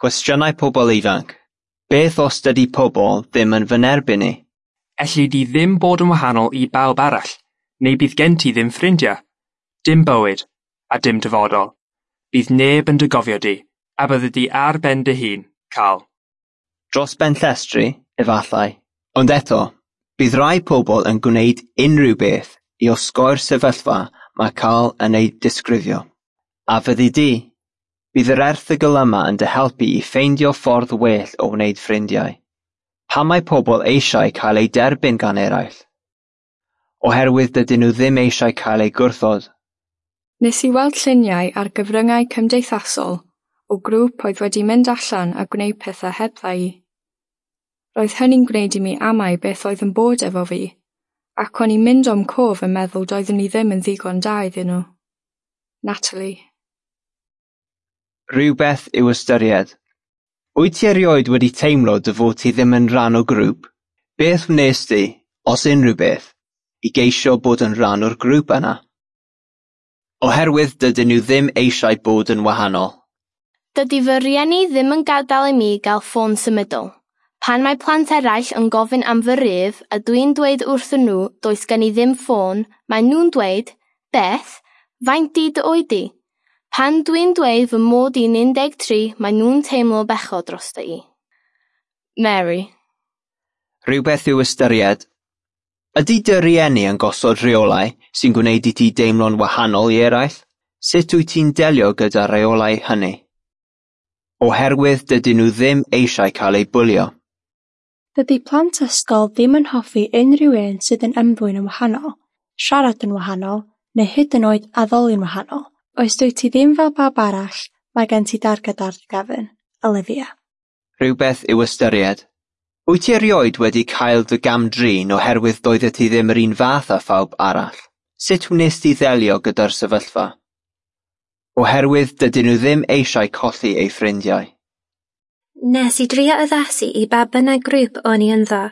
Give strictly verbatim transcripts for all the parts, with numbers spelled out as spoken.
Cwestiynau pobl ifanc. Beth os dydy pobl ddim yn fy nerbyn i? Elli di ddim bod yn wahanol i bawb arall, neu bydd gen ti ddim ffrindiau, dim bywyd, a dim dyfodol. Bydd neb yn dy gofio di, a byddi di ar ben dy hun, Carl. Dros ben llestri, efallai. Ond eto, bydd rai pobl yn gwneud unrhyw beth i osgoi'r sefyllfa mae Carl yn ei disgrifio. A fyddi di? Bydd yr erthygl yma yn dy helpu i ffeindio ffordd well o wneud ffrindiau. Pam mae pobl eisiau cael eu derbyn gan eraill? Oherwydd dydyn nhw ddim eisiau cael eu gwrthod. Nes i weld lluniau ar gyfryngau cymdeithasol o grŵp oedd wedi mynd allan a gwneud pethau hebdda i. Roedd hynny'n gwneud i mi amau beth oedd yn bod efo fi, ac o'n i'n mynd o'm cof yn meddwl doeddwn i ddim yn ddigon da iddyn nhw. Natalie. Rhywbeth i'w ystyried. Wyt ti erioed wedi teimlo dy fod ti ddim yn rhan o grŵp? Beth wnes di, os unrhyw beth, i geisio bod yn rhan o'r grŵp yna? Oherwydd dydyn nhw ddim eisiau bod yn wahanol. Dydy fy rhieni ddim yn gadael i mi gael ffôn symudol. Pan mae plant eraill yn gofyn am fy rhif a dwi'n dweud wrthyn nhw does gen i ddim ffôn, maen nhw'n dweud, Beth, faint 'di dy oed di? Pan dwi'n dweud fy mod i'n un deg tri, maen nhw'n teimlo bechod drosta i. Mary. Rhywbeth i'w ystyried. Ydy dy rieni yn gosod rheolau sy'n gwneud i ti deimlo'n wahanol i eraill? Sut wyt ti'n delio gyda'r rheolau hynny? Oherwydd dydyn nhw ddim eisiau cael eu bwlio. Dydy plant ysgol ddim yn hoffi unrhyw un sydd yn ymddwyn yn wahanol, siarad yn wahanol, neu hyd yn oed addoli'n wahanol. Os dwyt ti ddim fel pawb arall, mae gen ti darged ar dy gefn. Olivia. Rhywbeth i'w ystyried. Wyt ti erioed wedi cael dy gam-drin oherwydd doeddet ti ddim yr un fath â phawb arall? Sut wnes ti ddelio gyda'r sefyllfa? Oherwydd dydyn nhw ddim eisiau colli eu ffrindiau. Nes i drio addasu i ba bynnag grŵp o'n i ynddo.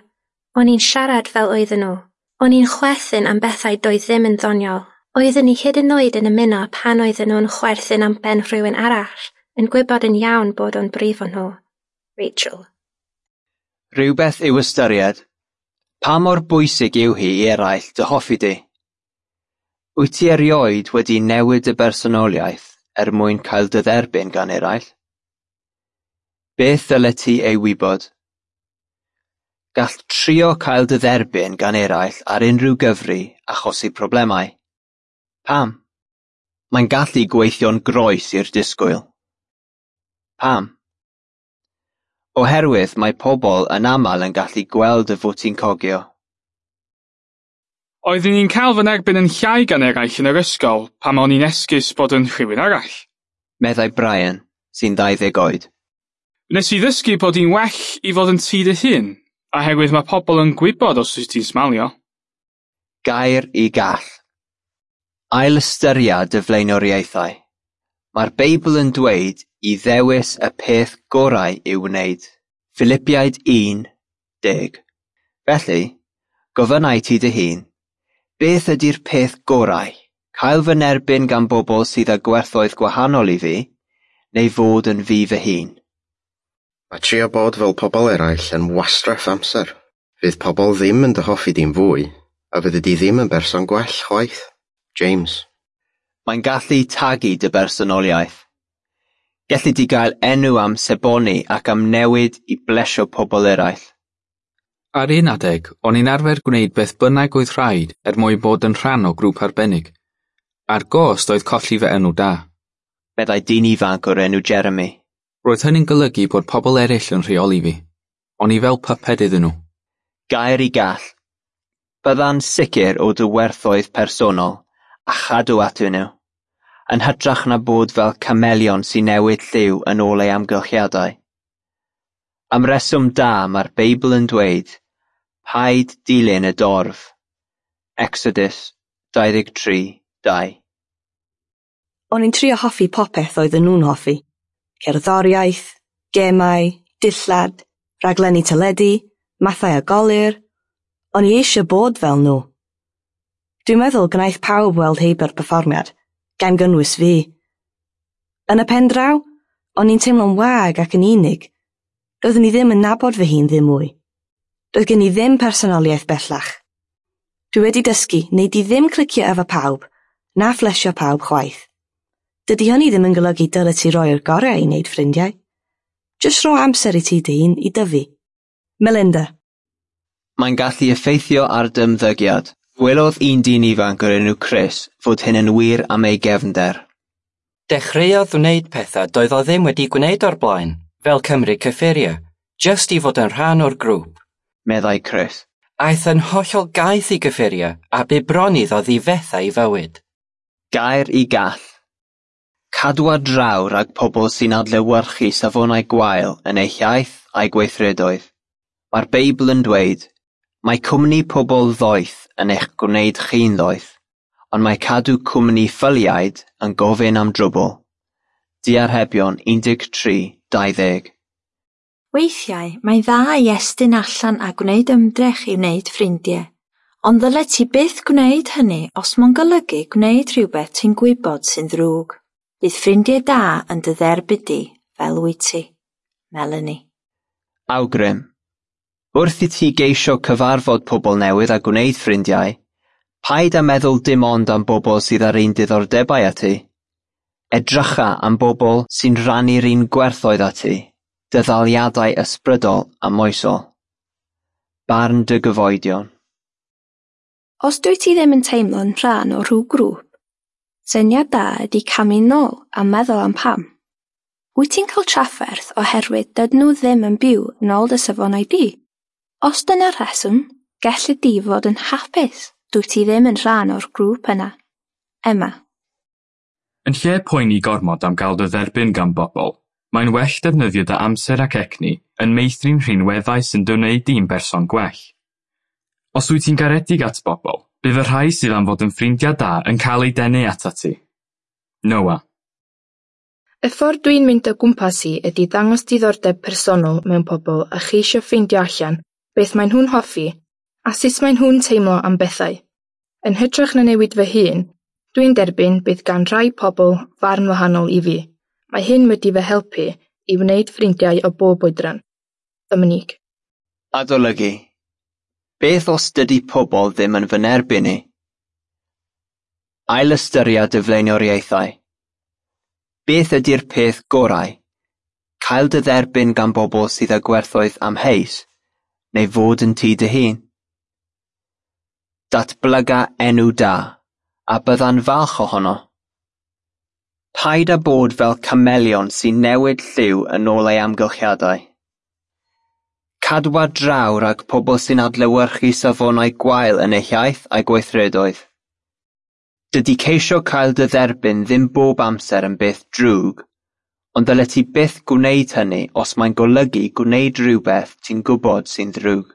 O'n i'n siarad fel oedden nhw. O'n i'n chwerthin am bethau doedd ddim yn ddoniol. Oedden ni hyd yn oed yn ymuno pan oedden nhw'n chwerthin am ben rhywun arall, yn gwybod yn iawn bod o'n brifo nhw. Rachel. Rhywbeth i'w ystyried. Pa mor bwysig yw hi i eraill dy hoffi di? Wyt ti erioed wedi newid y bersonoliaeth er mwyn cael dy dderbyn gan eraill? Beth ddylet ti ei wybod? Gall trio cael dy dderbyn gan eraill ar unrhyw gyfri achosi problemau. Pam? Mae'n gallu gweithio'n groes i'r disgwyl. Pam? Oherwydd mae pobl yn aml yn gallu gweld dy fod ti'n cogio. Oeddwn i'n cael fy nerbyn yn llai gan eraill yn yr ysgol pan o'n i'n esgus bod yn rhywun arall. Meddai Brian, sy'n ddau ddeg oed. Nes i ddysgu bod hi'n well i fod yn ti dy hun, oherwydd mae pobl yn gwybod os wyt ti'n smalio. Gair i gall. Ailystyria dy flaenoriaethau. Mae'r Beibl yn dweud i ddewis y peth gorau i'w wneud. Philipiaid un, deg. Felly, gofynnai ti dy hun, beth ydy'r peth gorau? Cael fy nerbyn gan bobl sydd â gwerthoedd gwahanol i fi, neu fod yn fi fy hun? Mae trio bod fel pobl eraill yn wastraff amser. Fydd pobl ddim yn dy hoffi di'n fwy, a fyddi di ddim yn berson gwell chwaith. James. Mae'n gallu tagu dy bersonoliaeth. Gelli di gael enw am seboni ac am newid i blesio pobl eraill. Ar un adeg, o'n i'n arfer gwneud beth bynnag oedd rhaid er mwyn bod yn rhan o grŵp arbennig. A'r gost oedd colli fy enw da. Meddai dyn ifanc o'r enw Jeremy. Roedd hynny'n golygu bod pobl eraill yn rheoli fi. O'n i fel pyped iddyn nhw. Gair i gall. Bydda'n sicr o dy werthoedd personol a chadw atyn nhw, yn hytrach na bod fel camelion sy'n newid lliw yn ôl ei amgylchiadau. Am reswm da mae'r Beibl yn dweud, paid dilyn y dorf. Exodus dau ddeg tri, dau. O'n i'n trio hoffi popeth oedden nhw'n hoffi. Cerddoriaeth, gemau, dillad, rhaglenni teledu, mathau o golur. O'n i eisiau bod fel nhw. Dwi'n meddwl gwnaeth pawb weld heibio'r perfformiad, gan gynnwys fi. Yn y pen draw, O'n i'n teimlo'n wag ac yn unig. Doeddwn i ddim yn nabod fy hun ddim mwy. Doedd gen i ddim personoliaeth bellach. Dwi wedi dysgu, nei di ddim clicio efo pawb, na phlesio pawb chwaith. Dydy hynny ddim yn golygu dylet ti roi'r gorau i wneud ffrindiau. Jyst rho amser i ti dy hun i dyfu. Melinda. Mae'n gallu effeithio ar dy ymddygiad. Gwelodd un dyn ifanc o'r enw Chris fod hyn yn wir am ei gefnder. Dechreuodd wneud pethau doedd o ddim wedi gwneud o'r blaen, fel cymryd cyffuriau, jyst i fod yn rhan o'r grŵp. Meddai Chris. Aeth yn hollol gaeth i gyffuriau a bu bron iddo ddifetha ei fywyd. Gair i gall. Cadwa draw rhag pobl sy'n adlewyrchu safonau gwael yn eu hiaith a'u gweithredoedd. Mae'r Beibl yn dweud, mae cwmni pobl ddoeth yn eich gwneud chi'n ddoeth, ond mae cadw cwmni ffyliaid yn gofyn am drwbl. Diarhebion un deg tri dau ddeg. Weithiau, mae'n dda i estyn allan a gwneud ymdrech i wneud ffrindiau, ond ddylet ti byth gwneud hynny os mae'n golygu gwneud rhywbeth ti'n gwybod sy'n ddrwg. Bydd ffrindiau da yn dy dderbyn di fel wyt ti. Melanie. Awgrym. Wrth i ti geisio cyfarfod pobl newydd a gwneud ffrindiau, paid â meddwl dim ond am bobl sydd â'r un diddordebau â ti. Edrycha am bobl sy'n rhannu'r un gwerthoedd â ti, dyddaliadau ysbrydol a moesol. Barn dy gyfoedion. Os dwyt ti ddim yn teimlo'n rhan o rhyw grŵp, syniad da ydy camu nôl a meddwl am pam. Wyt ti'n cael trafferth oherwydd dydyn nhw ddim yn byw yn ôl dy safonau di? Os dyna'r rheswm, gelli di fod yn hapus dwyt ti ddim yn rhan o'r grŵp yna. Emma. Yn lle poeni gormod am gael dy dderbyn gan bobl, mae'n well defnyddio dy amser ac egni yn meithrin rhinweddau sy'n dy wneud di'n berson gwell. Os wyt ti'n garedig at bobl, bydd y rhai sydd am fod yn ffrindiau da yn cael eu denu atat ti. Noah. Y ffordd dwi'n mynd o gwmpas i ydy dangos diddordeb personol mewn pobl a cheisio ffeindio allan beth maen nhw'n hoffi a sut maen nhw'n teimlo am bethau. Yn hytrach na newid fy hun, dwi'n derbyn bydd gan rai pobl farn wahanol i fi. Mae hyn wedi fy helpu i wneud ffrindiau o bob oedran. Dominique. Adolygu. Beth os dydy pobl ddim yn fy nerbyn i? Ailystyria dy flaenoriaethau. Beth ydy'r peth gorau? Cael dy dderbyn gan bobl sydd â gwerthoedd amheus, neu fod yn ti dy hun? Datblyga enw da, a bydda'n falch ohono. Paid â bod fel camelion sy'n newid lliw yn ôl ei amgylchiadau. Cadwa draw rhag pobl sy'n adlewyrchu safonau gwael yn eu hiaith a'u gweithredoedd. Dydy ceisio cael dy dderbyn ddim bob amser yn beth drwg, ond dylet ti byth gwneud hynny os mae'n golygu gwneud rhywbeth ti'n gwybod sy'n ddrwg.